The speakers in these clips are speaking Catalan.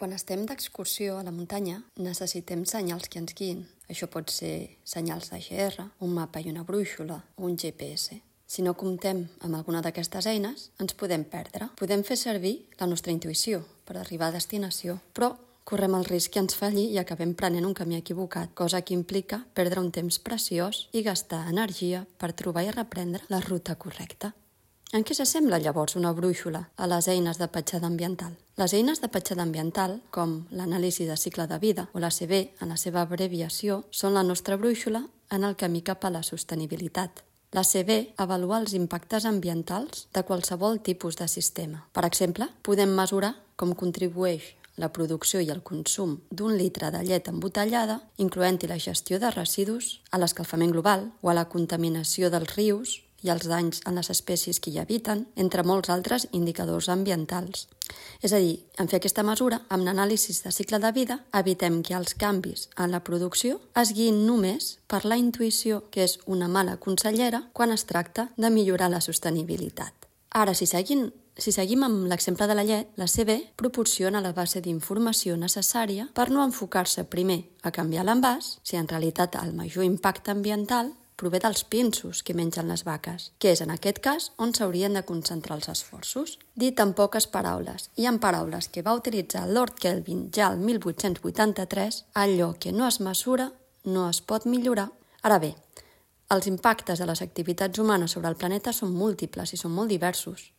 Quan estem d'excursió a la muntanya, necessitem senyals que ens guiïn. Això pot ser senyals de GR, un mapa i una brúixola o un GPS. Si no comptem amb alguna d'aquestes eines, ens podem perdre. Podem fer servir la nostra intuïció per arribar a destinació, però correm el risc que ens falli i acabem prenent un camí equivocat, cosa que implica perdre un temps preciós i gastar energia per trobar i reprendre la ruta correcta. En què s'assembla llavors una brúixola a les eines de petjada ambiental? Les eines de petjada ambiental, com l'anàlisi de cicle de vida o l'ACV en la seva abreviació, són la nostra brúixola en el camí cap a la sostenibilitat. L'ACV avalua els impactes ambientals de qualsevol tipus de sistema. Per exemple, podem mesurar com contribueix la producció i el consum d'un litre de llet embotellada, incloent-hi la gestió de residus, a l'escalfament global o a la contaminació dels rius i els danys en les espècies que hi habiten, entre molts altres indicadors ambientals. És a dir, en fer aquesta mesura, amb l'anàlisi de cicle de vida, evitem que els canvis en la producció es guiïn només per la intuïció, que és una mala consellera quan es tracta de millorar la sostenibilitat. Ara, si seguim amb l'exemple de la llet, l'ACV proporciona la base d'informació necessària per no enfocar-se primer a canviar l'envàs, si en realitat el major impacte ambiental prové dels pinsos que mengen les vaques, que és en aquest cas on s'haurien de concentrar els esforços. Dit en poques paraules, i en paraules que va utilitzar Lord Kelvin ja el 1883, allò que no es mesura no es pot millorar. Ara bé, els impactes de les activitats humanes sobre el planeta són múltiples i són molt diversos.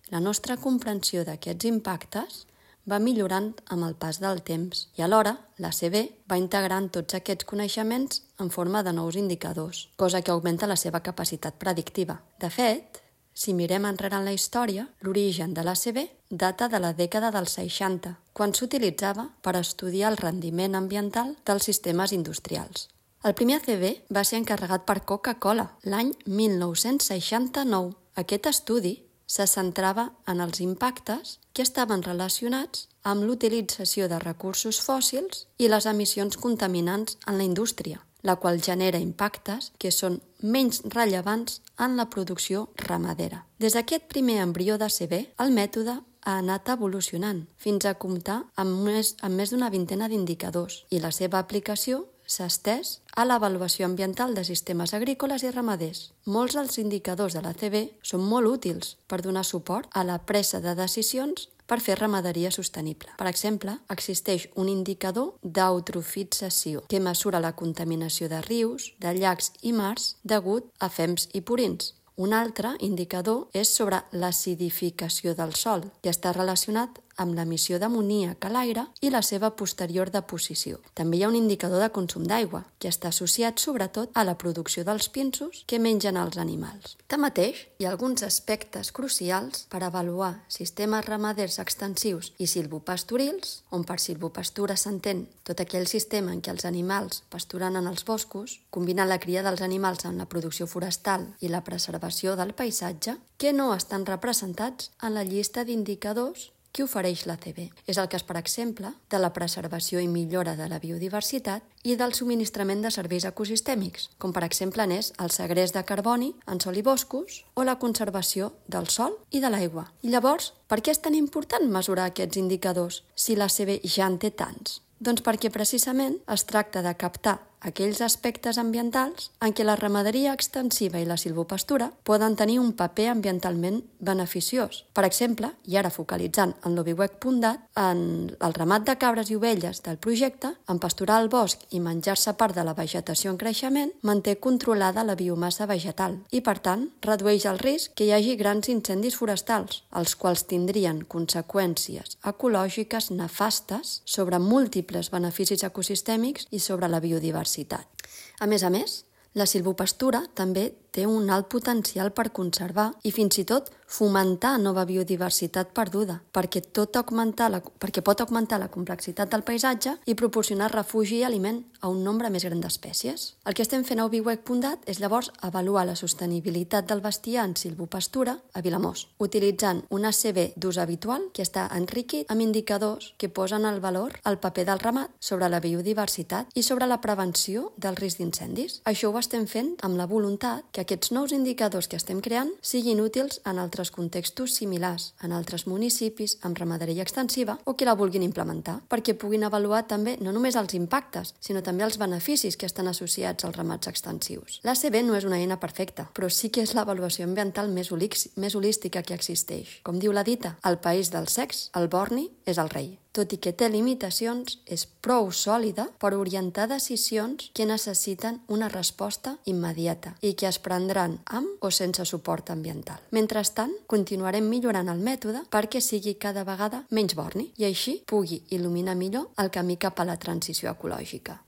La nostra comprensió d'aquests impactes va millorant amb el pas del temps i alhora l'ACV va integrant tots aquests coneixements en forma de nous indicadors, cosa que augmenta la seva capacitat predictiva. De fet, si mirem enrere en la història, l'origen de l'ACV data de la dècada dels 60, quan s'utilitzava per estudiar el rendiment ambiental dels sistemes industrials. El primer ACV va ser encarregat per Coca-Cola l'any 1969. Aquest estudi se centrava en els impactes que estaven relacionats amb l'utilització de recursos fòssils i les emissions contaminants en la indústria, la qual genera impactes que són menys rellevants en la producció ramadera. Des d'aquest primer embrió d'ACV, el mètode ha anat evolucionant fins a comptar amb més d'una vintena d'indicadors i la seva aplicació s'ha estès a l'avaluació ambiental de sistemes agrícoles i ramaders. Molts dels indicadors de l'ACV són molt útils per donar suport a la presa de decisions per fer ramaderia sostenible. Per exemple, existeix un indicador d'eutrofització que mesura la contaminació de rius, de llacs i mars degut a fems i purins. Un altre indicador és sobre l'acidificació del sòl, que està relacionat amb l'emissió d'amoníac a l'aire i la seva posterior deposició. També hi ha un indicador de consum d'aigua, que està associat sobretot a la producció dels pinsos que mengen els animals. Tanmateix, hi ha alguns aspectes crucials per avaluar sistemes ramaders extensius i silvopastorils, on per silvopastura s'entén tot aquell sistema en què els animals pasturen en els boscos, combinant la cria dels animals amb la producció forestal i la preservació del paisatge, que no estan representats en la llista d'indicadors que ofereix l'ACV. És el cas, per exemple, de la preservació i millora de la biodiversitat i del subministrament de serveis ecosistèmics, com per exemple n'és el segrest de carboni en sòl i boscos o la conservació del sòl i de l'aigua. I llavors, per què és tan important mesurar aquests indicadors si l'ACV ja en té tants? Doncs perquè precisament es tracta de captar aquells aspectes ambientals en què la ramaderia extensiva i la silvopastura poden tenir un paper ambientalment beneficiós. Per exemple, i ara focalitzant en l'oviwec.dat, en el ramat de cabres i ovelles del projecte, en pasturar el bosc i menjar-se part de la vegetació en creixement, manté controlada la biomassa vegetal i, per tant, redueix el risc que hi hagi grans incendis forestals, els quals tindrien conseqüències ecològiques nefastes sobre múltiples beneficis ecosistèmics i sobre la biodiversitat. A més, la silvopastura també té un alt potencial per conservar i fins i tot fomentar nova biodiversitat perduda, perquè pot augmentar la complexitat del paisatge i proporcionar refugi i aliment a un nombre més gran d'espècies. El que estem fent a oviwec.dat és llavors avaluar la sostenibilitat del bestiar en silvopastura a Vilamós, utilitzant un ACV d'ús habitual que està enriquit amb indicadors que posen el valor al paper del ramat sobre la biodiversitat i sobre la prevenció del risc d'incendis. Això ho estem fent amb la voluntat que aquests nous indicadors que estem creant siguin útils en altres contextos similars, en altres municipis, amb ramaderia extensiva o que la vulguin implementar, perquè puguin avaluar també no només els impactes, sinó també els beneficis que estan associats als ramats extensius. L'ACB no és una eina perfecta, però sí que és l'avaluació ambiental més holística que existeix. Com diu la dita, al país del sex, el borni és el rei. Tot i que té limitacions, és prou sòlida per orientar decisions que necessiten una resposta immediata i que es prendran amb o sense suport ambiental. Mentrestant, continuarem millorant el mètode perquè sigui cada vegada menys borni i així pugui il·luminar millor el camí cap a la transició ecològica.